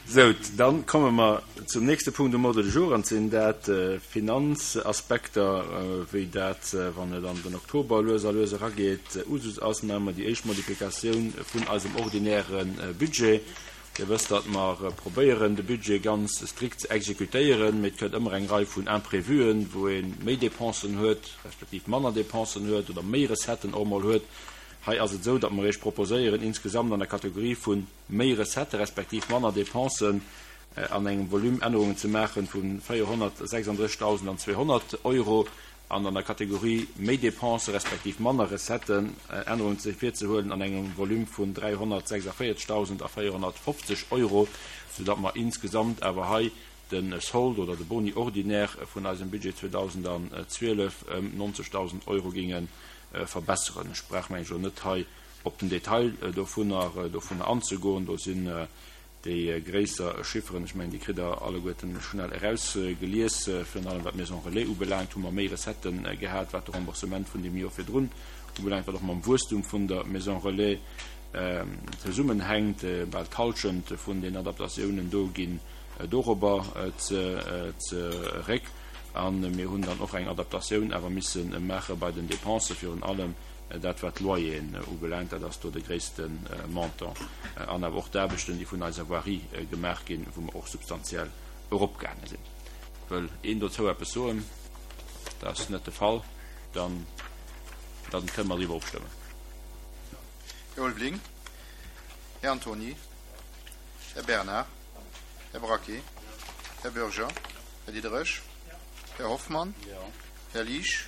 Sou, dann komme mer zum nächste Punkt um Ordre du jour, an sinn dat Finanzaspekter, wéi dat, wann et an den Oktober lues a lues erageet, Usus ass. Maache mer déi éischt Modifikatioun vun eisem ordinäre Budget. Dir wësst, datt mer probéieren, de Budget ganz strikt ze exekutéieren, mee et kënnt ëmmer eng Rei vun Imprévuen, wou ee méi Dépensen huet, respektiv manner Dépensen huet oder méi Recetten och emol huet. Hei ass et esou, datt mer Iech proposéieren, insgesamt an der Kategorie vu méi Recettë respektiv manner Dépensen an engem Volume Ännerungen ze maache vu 436.200 Euro an an der Kategorie méi Dépensen respektiv manner Recetten Ännerungen ze virzehuelen an engem Volume vun 346.450 Euro, soudatt mer insgesamt awer hei de Solde oder de Boni ordinaire vun eisem Budget 2012 ëm 90.000 Euro géinge verbesseren. Ech brauch, mengen ech, elo net hei op den Detail dovunner dovunner anzegoen. Do sinn déi gréisser Chifferen, ech mengen, déi kritt Der alleguerten schnell erausgelies. Virun allem wat d'Maison relais ubelaangt, hu mer méi Recettë gehat, wat de Remboursement vun deem Joer virdrun ubelaangt, wat och mam Wuesstum vun der Maison relais zesummenhänkt. Bal d'Hallschent vun den Adaptatiounen do ginn dorobber zeréck. A mir hunn dann och eng Adaptatioun awer misse maache bei den Dépensen, virun allem Dat wat d'Loyeren ubelaangt, dat ass do de gréisste Montant. An awer och d'Aarbechten, déi vun eiser Voirie gemaach ginn, wou mer och substantiell eropgaange sinn. Wëll een dozou eppes soen? Dat ass net de Fall. Dann, dann kënne mer driwwer ofstëmmen. Här Ulveling, Här Antony, Här Bernard, Här Braquet, Här Bürger, Här Diderich, Här Hoffmann, Här Liesch,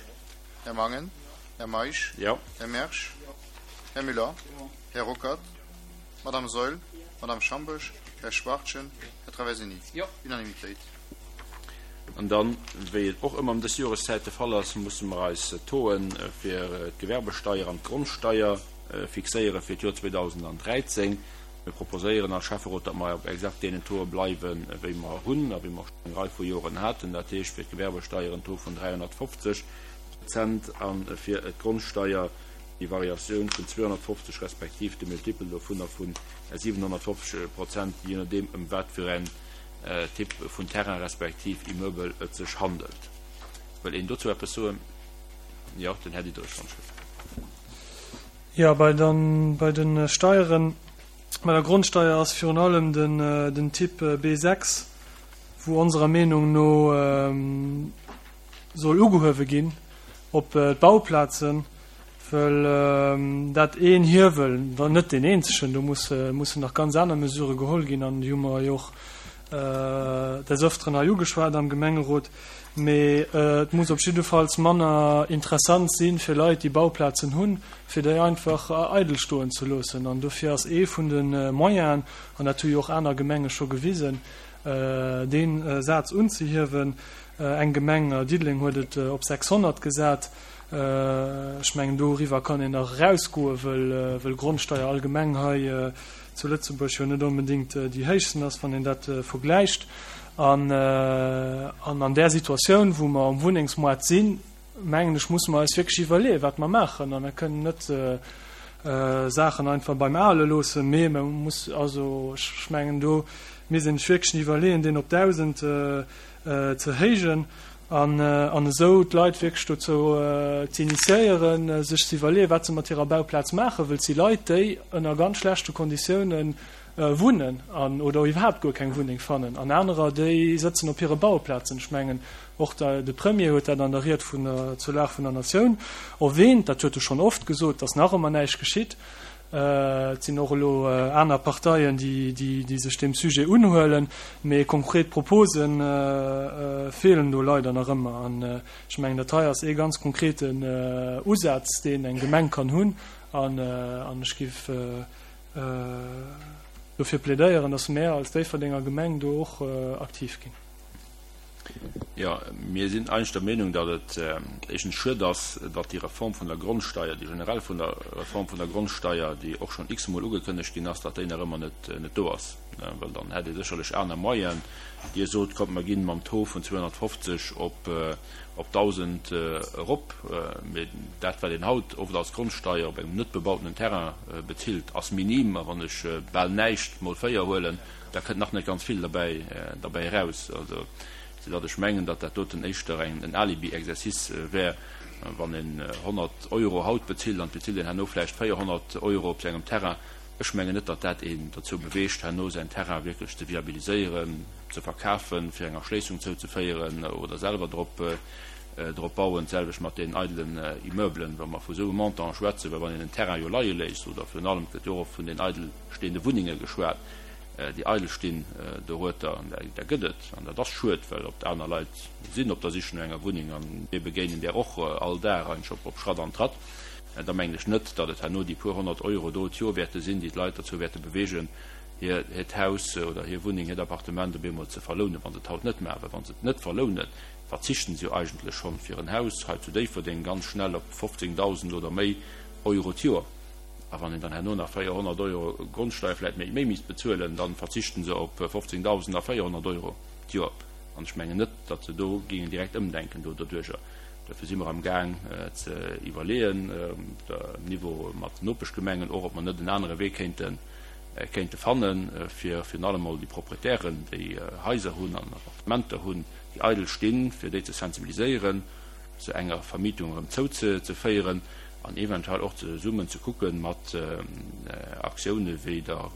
Här Mangen, Här Meisch, Här Mersch, Här Müller, Här Ruckert, Madame Saeul, Madame Schamboesch, Här Schwachtgen, Här Traversini. Unanimitéit. An dann, wéi et och ëmmer ëm dës Joreszäit de Fall ass, musse mer eis Tauxen fir d'Gewerbesteier an d'Grondsteier fixéiere fir d'Joer 2013. Mir proposéieren als Schäfferot, datt mer op exakt deenen Tauxe bleiwen, wéi mer hunn a wéi mer och schonn eng Rei vu Joren haten, dat heescht fir d'Gewerbesteier en Taux vun 350 Prozent a fir d'Grondsteier déi Variatioun vun 250 respektiv de Multiple dovunner vu 750 Prozent, jee nodeem ëm wat fir en Typ vun Terrain respektiv Immeubel et sech handelt. Wëll een dozou eppes soen? Jo, den Här Diderich, wann ech wëll. Jo, bei den, bei de Steieren, bei der Grondsteier ass virun allem den, den Typ B6, wou onserer Meenung no soll ugehuewe ginn op d'Bauplazen, wëll dat een Hiewel, wann net deen eenzegen, do mussen nach ganz aner Mesurë geholl ginn an déi hu mer jo och des Öfteren hei ugeschwat am Gemengerot, mee et muss op jiddefalls manner interessant si fir Leit, déi Bauplazen hunn, fir déi einfach eidel stoen ze loossen. An dofir ass ee vun de Moyenen, an dat hu jo och aner Gemenge scho gewisen, dee Saz unzehiewen. Eng Gemeng, Diddeleng, huet et op 600 gesat. Ech mengen, doriwwer kann een nach erausgoen, wëll Grondsteier allgemeng hei zu Lëtzebuerg jo net onbedéngt déi héichsten ass, wann een dat vergläicht. An an där Situatioun, wou mer um Wunnengsmoart sinn, mengen ech, musse mer eis wierklech iwwerleeën, wat mer maachen. A mer kënnen net Saachen einfach beim Ale loossen, mee mer muss, also ech mengen, do misst een sech wierklech iwwerleeën, deen op 1.000 ze héijen an an esou d'Leit wierklech dozou ze initiéieren, sech ze iwwerleeën, wat se mat hirer Bauplaz maachen, wëll et si Leit, déi ënner ganz schlechte Konditiounen wunnen an oder iwwerhaapt guer keng Wunneng fannen an anerer, déi sëtzen op hire Bauplazen. Ech mengen, och de Premier huet dat an der Ried vun der zur Lag vun der Natioun erwähnt, dat huet e schonn oft gesot, dass nach ëmmer näischt geschitt. Et sinn och elo aner Parteien, déi sech deem Sujet unhuelen, mee konkret Propose feelen do leider nach ëmmer. An ech mengen, dat hei ass ee ganz konkreten Usaz, deen eng Gemeng kann hunn. An ech géif dofir plädéieren, dass mär als Déifferdenger Gemeng do och aktiv ginn. Jo, mir sinn eigentlech der Meenung, datt et éischtens schued ass, datt déi Reform vun der Grondsteier, déi generell vun der Reform vun der Grondsteier, déi och schonn x-mol ugekënnegt ginn ass, datt déi nach ëmmer net net do ass. Well dann hätt ee sécherlech aner Moyenen. Dir sot, kommt mer ginn mam Taux vun 250 op op 1.000 erop. Mee dat, wat een haut oft als Grondsteier op engem net bebautenen Terrain bezilt, ass minim. A wann ech bal näischt mol 4 huelen, da kënnt nach net ganz vill derbäi derbäi eraus. Also, soudatt ech mengen, datt dat doten éischter eng en Alibi-Exercice wär, wann een 100 Euro haut bezilt an et bezilt een herno vläicht 400 Euro op sengem Terrain. Ech mengen net, datt dat een dozou beweegt, herno säin Terrain wierklech ze viabiliséieren, ze verkafen, fir eng Erschléissung zouzeféieren oder selwer drop drop bauen. D'selwecht mat deenen eidelen Immeublen, wa mer vu esou Montantë schwätzen, well wann een en Terrain jo leie léisst, oder virun allem, et gëtt jo och oft vun den eidel stehende Wunnenge geschwat, déi eidel stinn dorueter, an där gëtt et, an dat ass schued, well oft aner Leit sinn op der Sich no enger Wunneng an mir begéinen där och all Dag eigentlech op Schratt an Tratt, da mengen ech net, datt et herno déi puer 100 Euro do d'Joer wäerte sinn, déi d'Leit dozou wäerte bewegen, hir hiert Haus oder hir Wunneng, hiert Appartement op eemol ze verlounen, wa se et haut net maachen. Well wa se et net verlounen, verzichten se jo eigentlech schonn fir en Haus hei zu Déifferdeng ganz schnell op 15.000 oder méi Euro d'Joer. A wann een dann herno nach 400 Euro Grondsteier vläicht méi méi misst bezuelen, da verzichten se op 15.000 a 400 Euro d'Joer. An ech mengen net, datt se do géingen direkt ëmdenken do doduerjer. Dofir si mer am Gaang ze iwwerleeën, um Niveau mat den Nopeschgemengen och, ob mer net en anere Wee kéinte kéinte fannen, fir virun allem mol déi Proprietären, déi Haiser hunn an Appartementer hunn, déi eidel stinn, fir déi ze sensibiliséieren, se enger Vermietung erëm zouzeféieren an eventuell och zesummen ze kucke mat Aktioune wéi der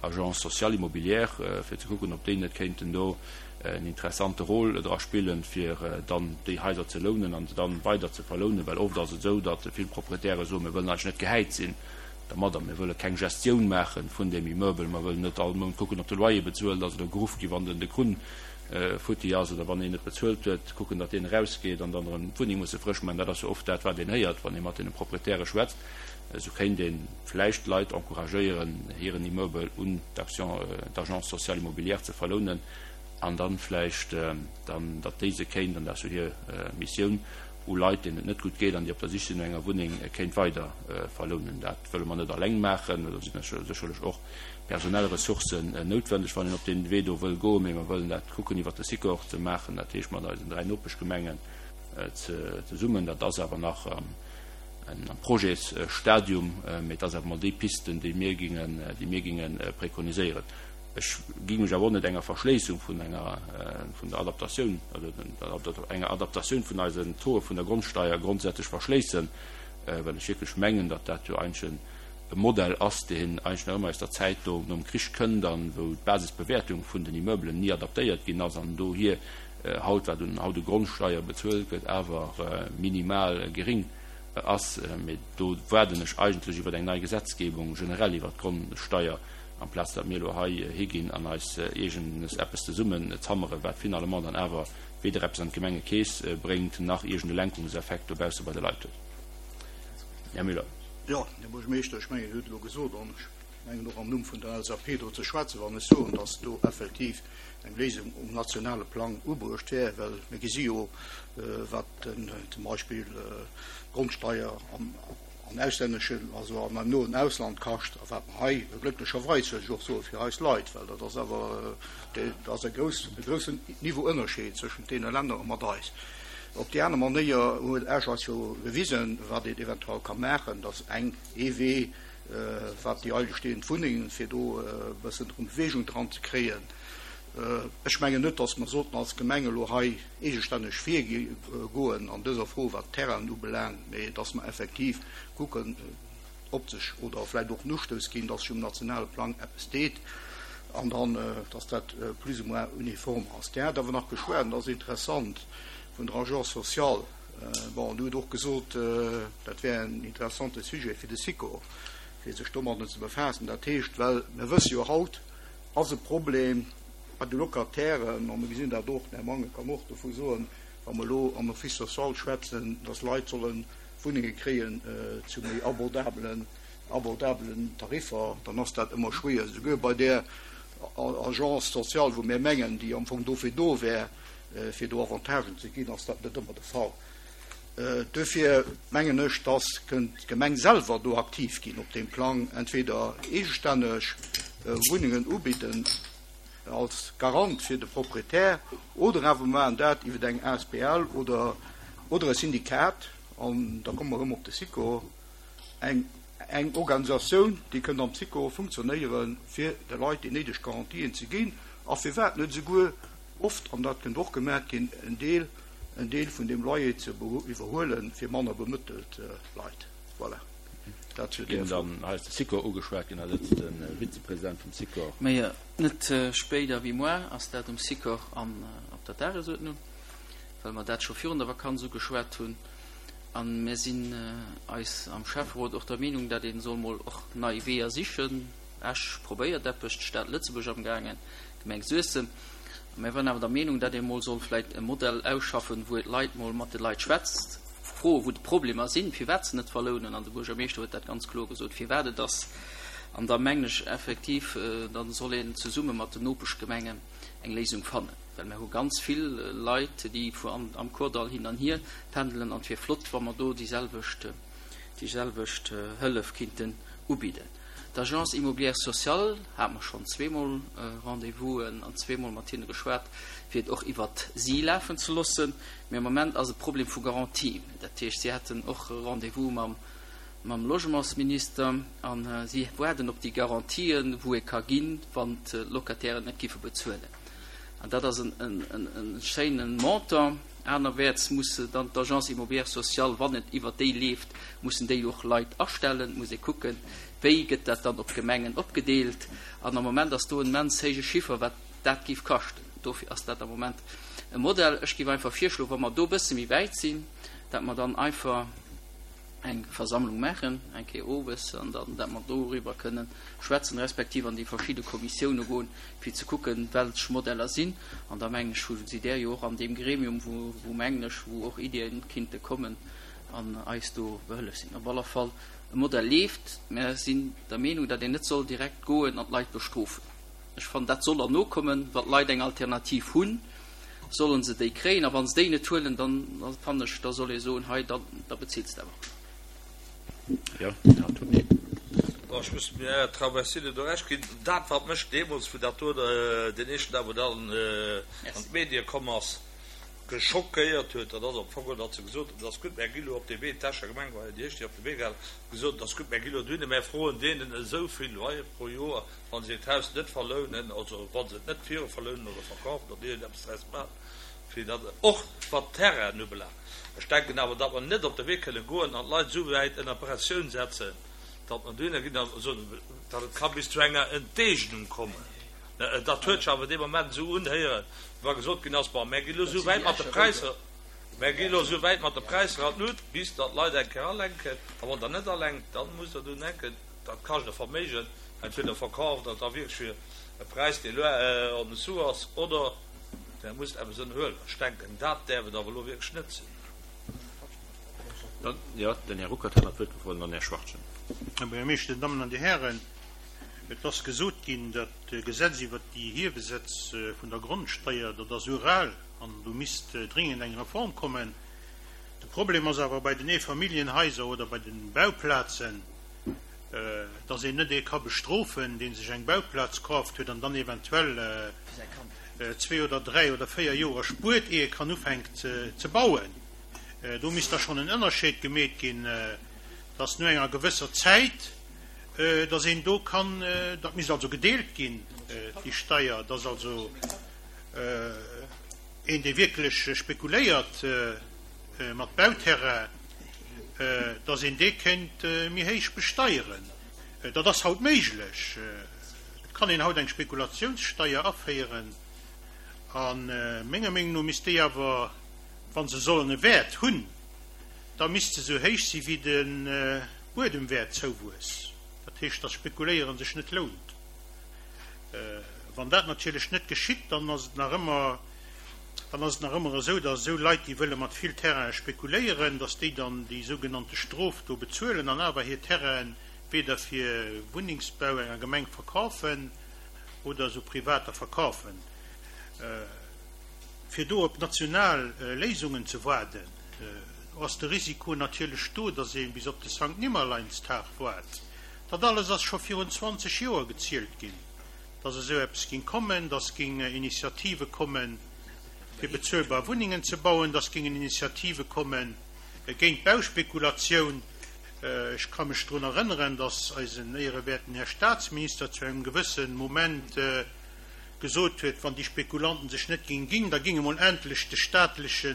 Agence sociale immobilière, fir ze kucken, ob déi net kéinten do en interessante Rôle dra spillen, fir dann déi Haiser ze lounen an se dann weider ze verlounen. Well oft ass et esou, datt vill Proprietäre soen, mir wëllen eigentlech net gehäit sinn dermadder, mir wëlle keng Gestioun maache vun deem Immeuble, mer wëllen net all Mount kucken, ob de Loyer bezuelt ass oder geruff gi wann den de Krunn futti ass oder wann een net bezuelt huet, kucken, datt deen erausgeet an dann erëm d'Wunneng musse frësch maachen. Dat ass jo oft dat, wat een héiert, wann ee mat deene Proprietäre schwätzt. Esou kéint ee vläicht d'Leit encouragéieren, hiren Immeuble un d'Action, d'Agence sociale immobilière ze verlounen an dann vläicht dann, datt déi se kéint, an dat ass jo hir Missioun, u Leit, deenen et net gutt geet an déi op der Sich sinn no enger Wunneng, kéint weider verlounen. Dat wëlle mer net alleng maachen. Do sinn sécherlech och personell Ressourcen noutwendeg, wann een op dee Wee do wëll goen. Mee mer wëllen dat kucken iwwert de Sikor ze maachen, dat heescht mat eisen 3 Nopeschgemengen zesummen. Dat ass awer nach am Projetsstadium, mee et ass awer mol déi Piste, déi mir gingen, déi mir ginge prekoniséieren. Ech géing mech awer och net enger Verschléissung vun enger, vun der Adaptatioun, also enger Adaptatioun vun eisen Tauxe vun der Grondsteier grondsätzlech verschléissen, well ech wierklech mengen, datt dat jo eigentlech e Modell ass, deen eigentlech nach ëmmer aus der Zäit do nom Krich kënnt an wou d'Basisbewäertung vun den Immeubelen ni adaptéiert ginn ass an dohier haut, wat un haut u Grondsteier bezuelt gëtt, awer minimal gering ass. Mee do waarden ech eigentlech iwwer eng nei Gesetzgebung generell iwwert d'Grondsteier, amplaz datt mir elo hei higinn an eis iergendes eppes zesummen zammeren, wat finalement dann awer weder eppes an d'Gemengekeess bréngt, nach iergend e Lenkungseffekt dobausse bei de Leit huet. Här Müller. Jo, Här Buergermeeschter, ech mengen, Dir hutt elo gesot, an ech mengen och am Numm vun der LSAP do ze schwätzen, wann ech soen, datt do effektiv eng Léisung um nationale Plang ubruecht wär, well mir gesi jo, wat zum Beispill d'Grondsteier am an auslänneschen, also an eim noen Ausland kascht, a wat mer hei, glécklecherweis wëll ech och soen, fir eis Leit, well dat ass awer, dat ass e grouss, e groussen Niveauënnerscheed zwëschent deene Länner a mat eis. Op déi aner Manéier huet Esch eis jo gewisen, wat een eventuell ka maachen, dass eng, ee Wee, wat déi eidel stehend Wunnengen, fir do e bëssen erëm Bewegung dran ze kréien. Ech mengen net, dass mer sollten als Gemeng elo hei eegestänneg virgoen an dëser Fro, wat d'Terrainen ubelaangt, mee dass mer effektiv kucken, ob sech oder vläicht och en Ustouss ginn, dass sech um nationale Plang eppes deet an dann, dass dat plus ou moins uniform ass. Dir hat awer nach geschwat, an dat ass interessant, vun der Agence sociale. Bon, Dir hutt och gesot, dat wär en interessante Sujet fir de Sikor, fir sech domadden ze befaassen. Dat heescht, well mir wësse jo haut, ass e Problem bei de Locatairen, a mir gesinn dat och, den Här Mangen kann och dovu soen, wa mer elo am Office social schwätzen, dass Leit solle Wunnenge kréien zu méi abordabelen, abordabelen Tariffer, dann ass dat ëmmer schwéier, souguer bei där Agence sociale, wou mir mengen, déi am Fong dofir do wär. fir do Avantagen ze ginn, ass dat net ëmmer de Fall. Duerfir mengen ech, dass kënnt d'Gemeng selwer do aktiv ginn op deem Plang, entweder eegestänneg Wunnengen ubidden als Garant fir de Proprietär oder awer mer maachen dat iwwer eng asbl oder oder e Syndikat, an da komme mer erëm op de Sikor, eng eng Organisatioun, déi kënnt am Sikor funktionéieren, fir de Leit déi néideg Garantien ze ginn a firwat net esouguer oft, an dat kënnt och gemat ginn, en Deel, en Deel vun deem Loyer ze iwwerhuelen fir manner bemëttelt Leit. Voilà, dat zu där Ginn Fro. dann, hei ass de Sikor ugeschwat ginn, hei sëtzt de Vizepresident vum Sikor. Mä net spéider wéi moar ass dat um Sikor an op der Dagesuerdnung, well mer dat scho virun der Vakanz ugeschwat hunn. A mir sinn eis am Schäfferot och der Meenung, dat ee soll mol och nei Weeër sichen. Esch probéiert eppes, d'Stad Lëtzebuerg amgaangen, d'Gemeng Suessem. A mir waren awer der Meenung, datt ee mol soll vläicht e Modell ausschaffen, wou ee d'Leit mol mat de Leit schwätzt, froe wou d'Problemer sinn, firwat se net verlounen. An de Buergermeeschter huet dat ganz kloer gesot, firwat et ass. An da mengen ech effektiv, da soll een zesumme mat den Nopeschgemengen eng Léisung fannen. Well mir hu ganz vill Leit, déi vu am Kordall hin an hier pendelen an et wier flott, wa mer do déi selwecht, déi selwecht Hëllef kinnten ubidden. D'Agence immobilière sociale hate mer schonn zweemol Rendez-vousen an zweemol mat hinne geschwat, fir et och iwwert si lafen ze loossen. Mee am Moment ass e Problem vu Garantie. Dat heescht, si haten och e Rendez-vous mam, mam Logementsminister a si waarden op déi Garantien, wou ee ka ginn, wann d'Locatairen net giffe bezuelen. An dat ass en schéine Montant. Anerwäerts muss dann d'Agence immobilière sociale, wann et iwwert déi leeft, mussen déi och Leit astellen. Et muss ee kucken, wéi gëtt dat dann op d'Gemengen opgedeelt. An am Moment ass do en immens héije Chiffer, wat dat géif kaschten. Dofir ass dat am Moment e Modell. Ech géif einfach virschloen, wa mer do e bësse méi wäit sinn, dat mer dann einfach eng Versammlung maachen, eng Kéier owes, an dann, dat mer doriwwer kënnen schwätzen, respektiv an déi verschidde Kommissioune goen, fir ze kucken, welch Modeller sinn. An da mengen ech, hu si där jo och an deem Gremium, wou, wou mengen ech, wou och Iddien kinnte kommen an eis do behëllef sinn. Op alle Fall, e Modell leeft. Mer sinn der Meenung, datt een net soll direkt goen an d'Leit bestrofen. Ech fannen, dat soll erno kommen, wa d'Leit eng Alternativ hunn, solle se déi kréien. A wa se déi net huelen, dann fannen ech, da soll ee soen, hei, da bezills de awer. Jo, Här Antony. Bon, ech muss dem Här Traversini do Recht ginn. Dat, wat mech deemools, wou dat do deen éischten Dag, wou dat an d'Medie komm ass, geschockéiert huet, dat ass am Fong geholl, datt se gesot hunn, et ass gutt, mär gi lo op dee Wee, d'Escher Gemeng war jo déi éischt, déi op de Wee gaangen ass, gesot, et ass gutt, mär gi lo dohinner, mär froen deenen esou vill Loyer pro Joer, wa se hiert Haus net verlounen, also wa se et net viru verlounen oder verkafen oder iergendeppes draus maachen, fir datt och wat d'Terrainen ubelaangt. Ech denken awer, datt mer net op de Wee kënne goen an d'Leit esou wäit ënner Pressioun setzen, datt mer dohinner ginn a soen, datt et ka bis zu enger Enteegnung kommen. Dat huet sech awer dee Moment esou unhéieren, wéi wa gesot ginn ass, Bon, mär gi lo esou wäit mat de Präisser, mär gi lo esou wäit mat de Präisser an d'Lut, bis datt d'Leit eng Kéier alenken. A wann Der net alenkt, da musst Der dunn denken, dat kascht e Verméigen, entweder verkaaft Der et da wierklech fir e Präis, dee loin en dessous ass, oder Der musst eppes ënnerhuelen. Ech denken, dat däerf et awer elo wierklech net sinn. Dann, jo, den Här Ruckert hat nach d'Wuert gefrot an dann den Här Schwachtgen. Här Buergermeeschter, Dir Dammen an Dir Hären, et ass gesot ginn, dat Gesetz iwwert déi Hiewesätz vun der Grondsteier, dat ass ural an do misst dringend eng Reform kommen. De Problem ass awer bei den Eefamilljenhaiser oder bei de Bauplazen, dass een net ee ka bestrofen, dee sech eng Bauplaz kaaft huet an dann eventuell zwee oder dräi oder véier Joer spuert, ier e kann ufänkt ze bauen. Do misst da schonn en Ënnerscheed gemeet ginn, dass no enger gewësser Zäit, dass een do kann, dat misst also gedeelt ginn, déi Steier, dass also een, dee wierklech spekuléiert mat Bauterrain, dass een dee kéint méi héich besteieren. Dat ass haut méiglech. Et kann een haut eng Spekulatiounssteier aféieren a menger Meenung no misst déi awer, wa se sollen e Wäert hunn, da misst se esou héich si wéi de Buedemwäertzouwuess. Dat heescht, dass Spekuléiere sech net lount. Wann dat natierlech net geschitt, dann ass et nach ëmmer, dann ass et nach ëmmer esou, dass esou Leit, déi wëlle mat vill Terrainen spekuléieren, dass déi dann déi sougenannte Strof do bezuelen an awer hir Terrainen weder fir Wunnengsbau enger Gemeng verkafen oder esou Privater verkafen. Fir do op national Léisungen ze waarden, do ass de Risiko natierlech do, datt ee bis op de Sankt Nimmerleinstag waart. Dat alles ass scho virun 20 Joer gezielt ginn, datt esou eppes géing kommen, datt géing Initiative kommen, fir bezuelbar Wunnengen ze bauen, datt géingen Initiative komme géint d'Bauspekulatioun. Ech ka mech drun erënneren, datt eisen éierewäerten Här Statsminister zu engem gewësse Moment gesot huet, wann déi Spekulanten sech net géing ginn, da géing emol endlech de staatleche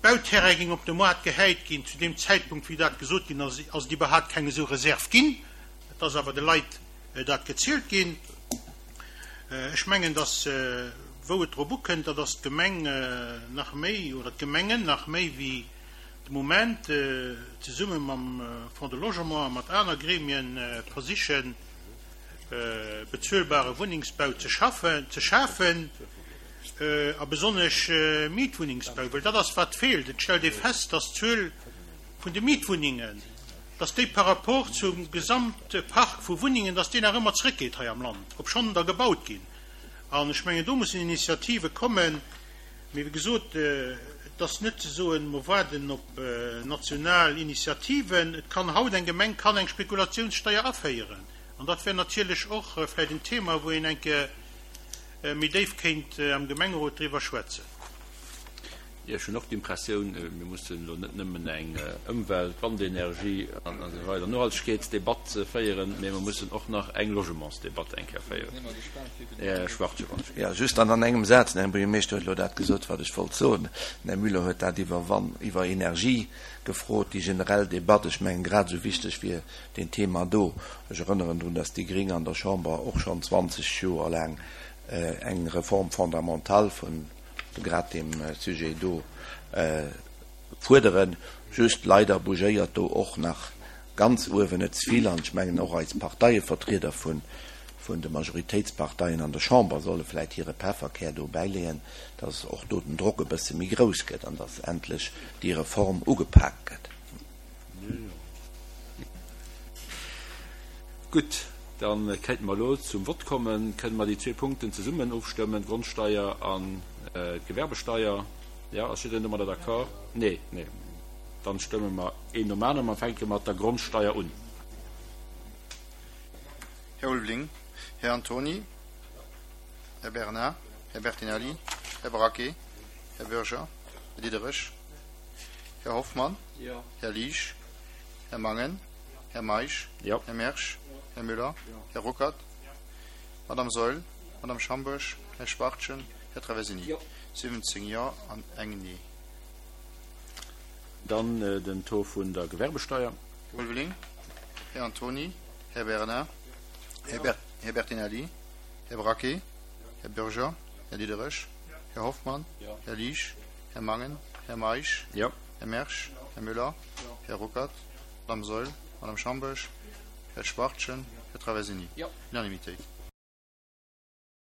Bauterrain géing op de Moart gehäit ginn. Zu deem Zäitpunkt, wéi dat gesot ginn ass, ass et iwwerhaapt keng esou Reserv ginn. Et ass awer de Leit dat gezielt ginn. Ech mengen, datt, wou et drop ukënnt, dat ass d'Gemeng nach méi, oder d'Gemengen nach méi wéi de Moment, zesumme mam Fonds de Logement a mat aner Gremien versichen, bezuelbare Wunnengsbau ze schaffen, ze schafen, a besonnesch Mietwunnengsbau, well dat ass wat feelt. Et stellt ee fest, dass d'Zuel vun de Mietwunnengen, dass déi par rapport zum Gesamtpark vu Wunnengen, dass déi nach ëmmer zrëckgeet hei am Land, obschonn der gebaut ginn. An ech mengen, do mussen Initiative kommen. Mee wéi gesot, et ass net ze soen, mer waarden op national Initiativen. Et kann haut eng Gemeng kann eng Spekulationssteuer aféieren. An dat wär natierlech och vläicht en Thema, wou een eng Kéier méi déif kéint am Gemengerot driwwer schwätzen. Jo, ech hunn och d'Impressioun, mir mussen elo net nëmmen eng Ëmwelt-, Wandenergie an esou weider Nohaltegkeetsdebatt féieren, mee mer mussen och nach eng Logementsdebatt eng Kéier féieren. Här Schwartje, wann ech. Jo, just dann an engem Saz, den Här Buergermeeschter huet elo dat gesot, wat ech wollt soen. Den Här Müller huet dat iwwer Wan-, iwwer Energie gefrot, déi generell Debatt. Ech mengen, grad esou wichteg wier deen Thema do. Ech erënneren drun, dass déi Gring an der Chamber och schonn 20 Joer laang eng Réforme fondamentale vun grad deem Sujet do fuerderen. Just leider bougéiert do och nach ganz uewen net ze vill. An ech mengen, och eis Parteievertrieder vun de Majoritéitsparteien an der Chamber solle vläicht hire Pefferkär do bäileeën, dass och do den Drock e bësse méi grouss gëtt an dass endlech déi Reform ugepaakt gëtt. Gutt, da kéinte mer elo zum Vott kommen. Kënne mer déi zwee Punkten zesummen ofstëmmen, d'Grondsteier an d'Gewerbesteier? Jo, ass jiddereen domadder d'accord? Nee, nee. Dann stëmme mer een nom aneren. Mer fänke mat der Grondsteier un. Här Ulveling, Här Antony, Här Bernard, Här Bertinelli, Här Braquet, Här Bürger, Här Diderich, Här Hoffmann, Här Liesch, Här Mangen, Här Meisch, Här Mersch, Här Müller, Här Ruckert, Madame Saeul, Madame Schambourg, Här Schwachtgen, Här Traversini. 17 Jo an eng Nee. Dann den Taux vun der Gewerbesteier. Här Ulveling, Här Antony, Här Bernard, Här Bertinelli, Här Braquet, Här Bürger, Här Diderich, Här Hoffmann, Här Liesch, Här Mangen, Här Meisch, Här Mersch, Här Müller, Här Ruckert, Madame Saeul, Madame Schambourg, Här Schwachtgen, Här Traversini. Unanimitéit.